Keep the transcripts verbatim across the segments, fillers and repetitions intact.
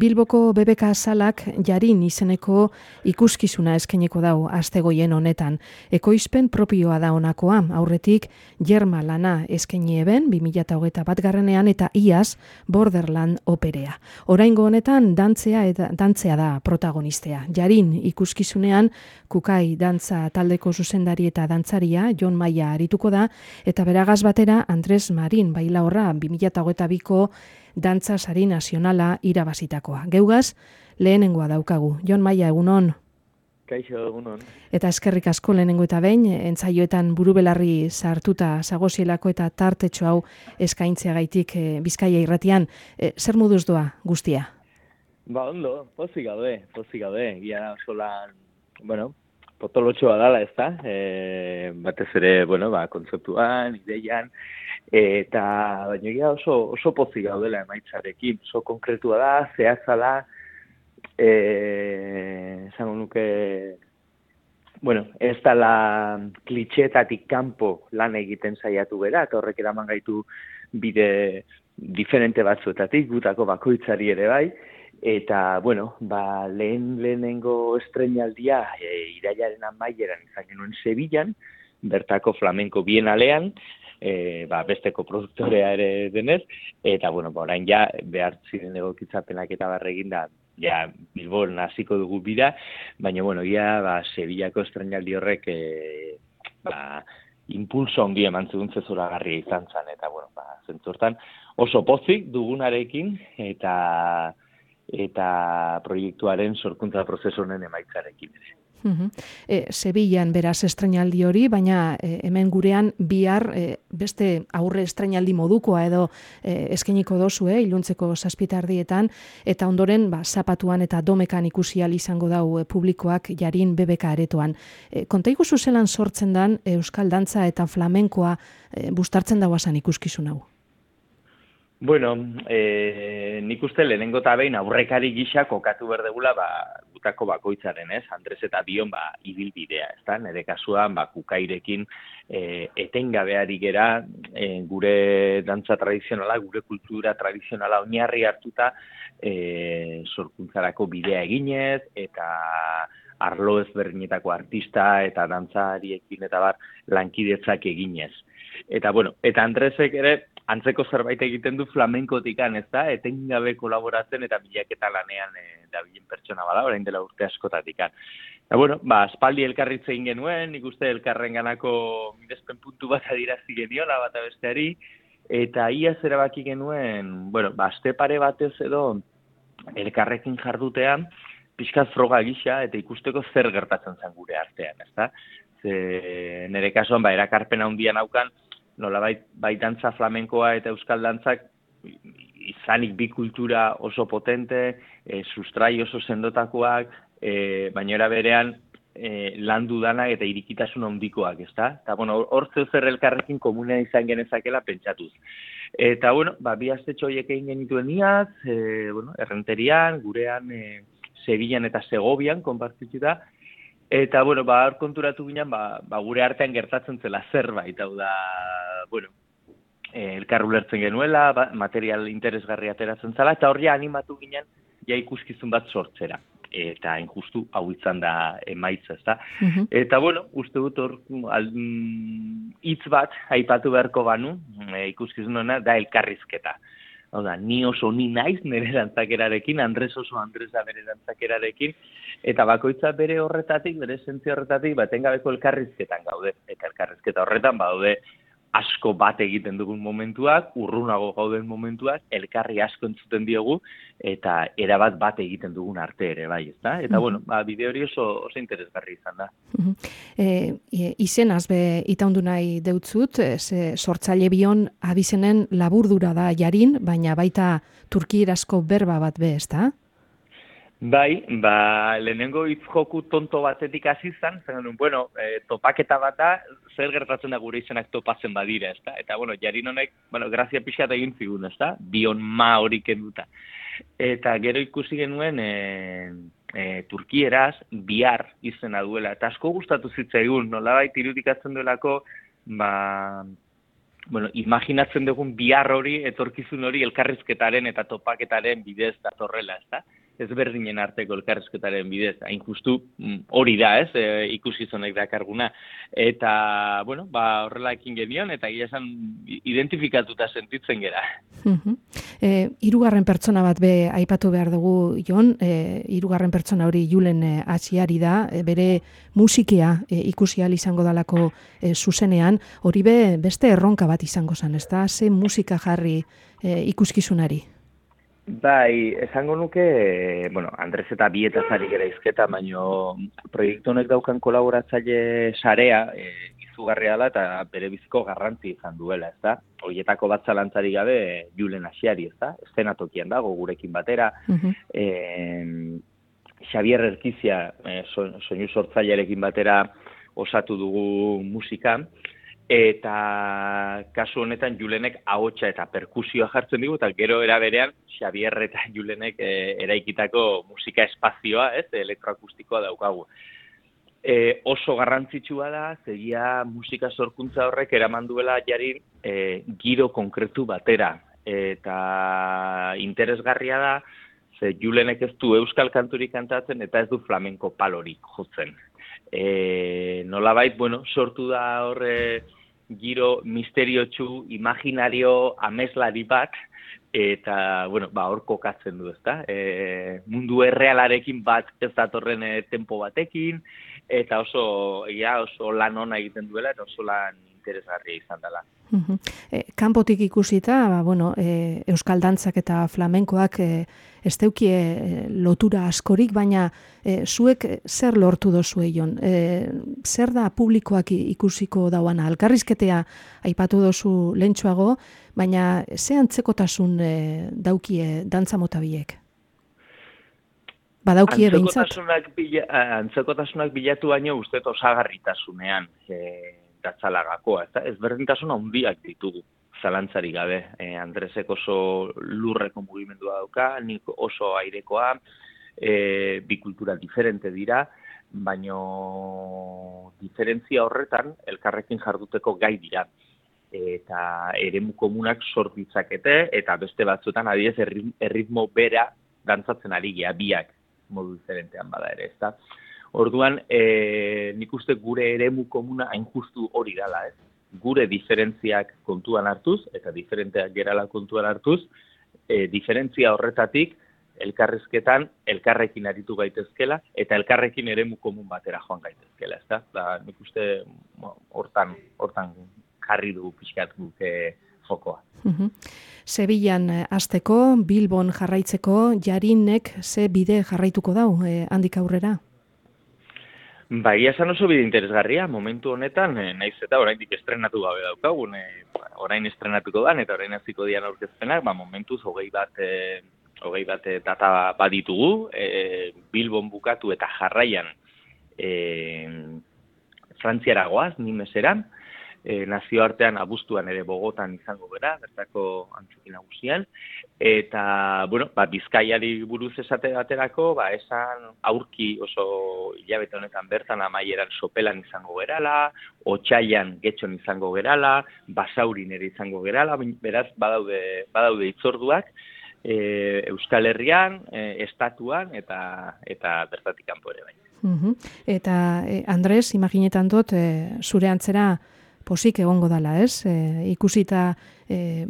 Bilboko B B K salak Jarin izeneko ikuskizuna eskainiko dau astegoien honetan. Ekoizpen propioa da honakoa, aurretik Jerma lana eskaini eben bi mila hogeita batgarrenean eta iaz Borderland operea. Oraingo honetan dantzea eta dantzea da protagonistea. Jarin ikuskizunean Kukai dantza taldeko zuzendari eta dantzaria Jon Maia arituko da eta beragaz batera Andres Marin bailaorra bi mila hogeita biko dantza sari nazionala irabazitakoa. Geugaz, lehenengoa daukagu. Jon Maia, egunon. Kaixo, egunon. Eta eskerrik asko lehenengo eta behin, entzaioetan burubelarri sartuta zagozielako eta tartetxo hau eskaintzeagaitik e, Bizkaia irratian. E, zer moduz doa guztia? Ba, ondo, pozik gaude, pozik gaude. Gia solan, bueno, potolotxoa dala, ez da? E, batez ere, bueno, ba, kontzeptuan, ideian, eta baina egia oso, oso pozik gaudela emaitzarekin, oso konkretua da, zehatza da, eh, esango nuke, bueno, ez dela klitxeetatik kanpo lan egiten saiatu bera, eta horrek eraman gaitu bide diferente batzuetatik, gutako bakoitzari ere bai, eta, bueno, ba, lehen lehenengo estrenaldia e, irailaren amaieran izan genuen Sevillan, bertako flamenko bienalean, E, ba, besteko produktorea ere denez, eta, bueno, ba, orain ja, behar ziren egokitzapenak eta barregin da, ja, Bilbon hasiko dugu bira, baina, bueno, ja, ba, Sevillako estrenaldi horrek, e, ba, impulso handi eman zigun zezuragarria izan zen, eta, bueno, ba, zentzortan, oso pozik dugunarekin, eta, eta proiektuaren sorkuntza prozesu honen emaitzarekin ere. Uh-huh. E, Sevillan beraz estrenaldi hori, baina e, hemen gurean bihar e, beste aurre estrenaldi modukoa edo e, eskainiko dozu, eh, iluntzeko zazpitardietan, eta ondoren ba, zapatuan eta domekan ikusi ahal izango dau e, publikoak Jarin B B K aretoan. E, Kontaigu zuzelan sortzen dan euskal dantza eta flamenkoa e, bustartzen dauazan ikuskizun hau? Bueno, eh, nik uste lehenengo eta behin aurrekari gisa kokatu berdegula ba, gutako bakoitzaren, ez? Andres eta bion ba, ibilbidea, ez da? Nere kasuan, ba, Kukairekin eh, etengabeari gera eh, gure dantza tradizionala, gure kultura tradizionala oinarri hartuta eh, sorkuntzarako bidea eginez, eta arlo ezberdinetako artista eta dantzariekin eta bar lankidetzak eginez. Eta, bueno, eta Andresek ere antzeko zerbait egiten du flamenkotikan, ez da? Etengabe kolaboratzen eta bilaketa lanean e, dabilen pertsona bada, orain dela urte askotatikan. Eta, bueno, ba, aspaldi elkarritze egin genuen, nik uste elkarrenganako mirespen puntu bat adirazi geniola bat besteari, eta iaz erabaki genuen, bueno, ba, aste pare batez edo elkarrekin jardutean, pixkat froga gisa eta ikusteko zer gertatzen zen gure artean, ez da? Ze, nire kasuan, ba, erakarpena handian haukan, nolabait bai dantza flamenkoa eta euskal dantzak izanik bi kultura oso potente, e, sustrai oso sendotakoak, e, baina era berean e, landu danak eta irikitasun handikoak, ezta? Eta, bueno, hor zeu zer elkarrekin komunea izan genezakela pentsatuz. Eta, bueno, ba, bi astetxo horiek egin genituen iaz, e, bueno, errenterian, gurean, e, Sevillan eta Segovian, konpartituta, eta, bueno, ba, hor konturatu ginen, ba, ba, gure artean gertatzen zela zerbait, hau da, bueno, e, elkar ulertzen genuela, ba, material interesgarri ateratzen zela, eta hor ja animatu ginen, ja ikuskizun bat sortzera. Eta injustu hau izan da emaitza, ezta? Uh-huh. Eta, bueno, uste dut hor hitz bat aipatu beharko banu, e, ikuskizun hona, da elkarrizketa. Hau da, ni oso ni naiz nire dantzakerarekin, Andres oso Andresa bere dantzakerarekin, eta bakoitza bere horretatik, bere esentzia horretatik, ba, etengabeko elkarrizketan gaude. Eta elkarrizketa horretan, baude asko bat egiten dugun momentuak, urrunago gauden momentuak, elkarri asko entzuten diogu, eta erabat bat egiten dugun arte ere, bai, ezta? Eta, mm-hmm. bueno, ba, bide hori oso, oso interesgarri izan da. Mm-hmm. E, izenaz be itaundu nahi deutzut, ze sortzaile bion abizenen laburdura da Jarin, baina baita turkierazko berba bat be, ezta? Bai, ba, lehenengo hitz joku tonto batetik hasi izan, zen, bueno, e, topaketa bat da, zer gertatzen da gure izenak topatzen badira, ezta? Eta, bueno, Jarin honek, bueno, grazia pixat egin zigun, ezta? Bion ma hori kenduta. Eta gero ikusi genuen, e, e, turkieraz, bihar izena duela, eta asko gustatu zitzaigun, nolabait irudikatzen duelako, ba, bueno, imaginatzen dugun bihar hori, etorkizun hori elkarrizketaren eta topaketaren bidez datorrela, ez da? Ez berdinen arteko elkarrizketaren bidez, hain justu hori da, ez, e, ikusizonek dakarguna. Eta, bueno, ba, horrela ekin genion, eta gira esan identifikatuta sentitzen gera. Uh-huh. E, hirugarren pertsona bat be aipatu behar dugu, Jon, e, hirugarren pertsona hori Julen e, Atxiari da, e, bere musikia e, ikusi ahal izango dalako e, zuzenean, hori be beste erronka bat izango zen, ez da? Ze musika jarri e, ikuskizunari? Bai, esango nuke, bueno, Andres eta bietaz ari gara izketa, baino proiektu honek daukan kolaboratzaile sarea, e, izugarria da eta bere biziko garrantzi izan duela, ez da? Horietako bat zalantzari gabe Julen Atxiari, ez da? Eszenatokian dago gurekin batera, uh-huh. e, Xabier Erkizia, e, soinu sortzailearekin batera osatu dugu musika, eta kasu honetan Julenek ahotsa eta perkusioa jartzen digu, eta gero era berean Xabier eta Julenek e, eraikitako musika espazioa, ez, elektroakustikoa daukagu. E, oso garrantzitsua da, zegia musika sorkuntza horrek eraman duela Jarin e, giro konkretu batera, eta interesgarria da, ze Julenek ez du euskal kanturik kantatzen eta ez du flamenko palorik jotzen. E, nolabait, bueno, sortu da horre giro misteriotsu, imaginario, ameslari bat, eta, bueno, ba, hor kokatzen du, ezta? E, mundu errealarekin bat ez datorren e, tempo batekin, eta oso, ja, oso lan ona egiten duela, eta oso lan interesgarria izan dela. Uh-huh. E, kanpotik ikusita, ba, bueno, e, euskal dantzak eta flamenkoak e, ez deukie e, lotura askorik, baina e, zuek zer lortu dozue, Jon? E, zer da publikoak ikusiko dauana? Elkarrizketea aipatu dozu lehentxoago, baina ze antzekotasun e, daukie dantza mota biek? Badaukie behintzat? Antzekotasunak, bila, antzekotasunak bilatu baino uste osagarritasunean e, datzalagakoa, ez da? Ezberdintasun handiak ditugu, zalantzari gabe. E, Andresek oso lurreko mugimendua dauka, nik oso airekoa, e, bi kultura diferente dira, baino diferentzia horretan elkarrekin jarduteko gai dira. Eta eremu komunak sort ditzakete, eta beste batzuetan adiez erritmo bera dantzatzen ari gea, biak modu diferentean bada ere, ez da? Orduan, e, nik uste gure eremu komuna hain justu hori dela, ez? Gure diferentziak kontuan hartuz, eta diferenteak gerala kontuan hartuz, e, diferentzia horretatik, elkarrizketan, elkarrekin aritu gaitezkela, eta elkarrekin eremu komun batera joan gaitezkela, ez da? Da, nik uste hortan, hortan jarri du pixkat guke fokoa. Uh-huh. Sevillan hasteko, Bilbon jarraitzeko, Jarinek ze bide jarraituko dau, eh, handik aurrera? Bai, esan oso bide interesgarria, momentu honetan, eh, naiz eta oraindik estrenatu gabe daukagun, eh, orain estrenatuko dan, eta orain hasiko dian aurkezpenak, ba, momentuz hogei bat, eh, hogei bat eh, data baditugu, eh, Bilbon bukatu eta jarraian eh, Frantziara goaz, Nimeseran, E, nazioartean abuztuan ere Bogotan izango gara, bertako antzoki nagusian, eta, bueno, ba, Bizkaiari buruz esate baterako, ba, esan aurki oso hilabete honetan bertan amaieran Sopelan izango gerala, Otsailan Getxon izango gerala, Basaurin ere izango gerala, beraz, badaude, badaude itzorduak, e, Euskal Herrian, e, estatuan, eta, eta bertatik kanpo ere bai. Uh-huh. Eta, e, Andres, imaginetan dut, e, zure antzera, posik egongo dala, ez? E, ikusita e,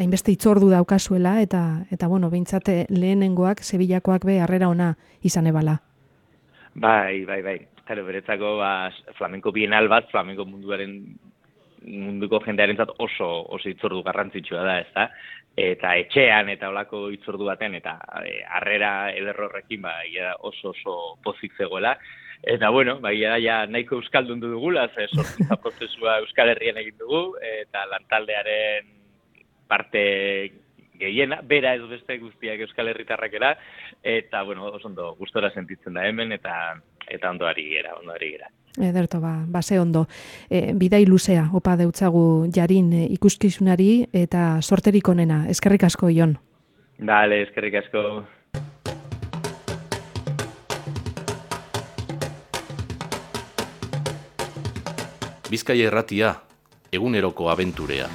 hainbeste itzordu daukazuela, eta, eta bueno, behintzate lehenengoak, Sevillakoak be, harrera ona izan ebala. Bai, bai, bai. Claro, beretzako, ba, flamenko bienal bat, flamenko munduaren, munduko jendearentzat oso, oso itzordu garrantzitsua da, ez da? Eta etxean, eta olako itzordu baten, eta e, harrera ederrorrekin, ba, oso, oso pozik zegoela. Eta, bueno, bai, ja, nahiko euskaldun dugula, ze sortza prozesua Euskal Herrian egin dugu, eta lantaldearen parte gehiena, bera ez beste guztiak Euskal Herritarrakera, eta, bueno, oso ondo gustora sentitzen da hemen, eta eta ondo ari gera, ondo ari gera. Ederto, ba, base ondo. E, bidai luzea, opa deutzagu Jarin e, ikuskizunari, eta sorterik onena. Eskerrik asko, Jon. Dale, eskerrik asko. Bizkaia Irratia, eguneroko abenturea.